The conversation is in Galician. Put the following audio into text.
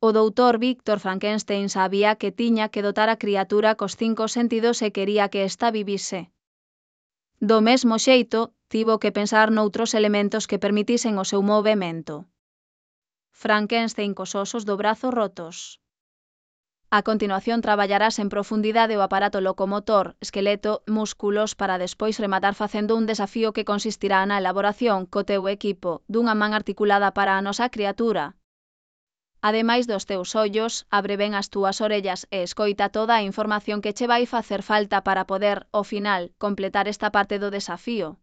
O doutor Víctor Frankenstein sabía que tiña que dotar a criatura cos 5 sentidos e quería que esta vivise. Do mesmo xeito, tivo que pensar noutros elementos que permitisen o seu movemento. Frankenstein cos osos do brazo rotos. A continuación traballarás en profundidade o aparato locomotor, esqueleto, músculos para despois rematar facendo un desafío que consistirá na elaboración co teu equipo dunha man articulada para a nosa criatura. Ademais dos teus ollos, abre ben as túas orellas e escoita toda a información que che vai facer falta para poder, ao final, completar esta parte do desafío.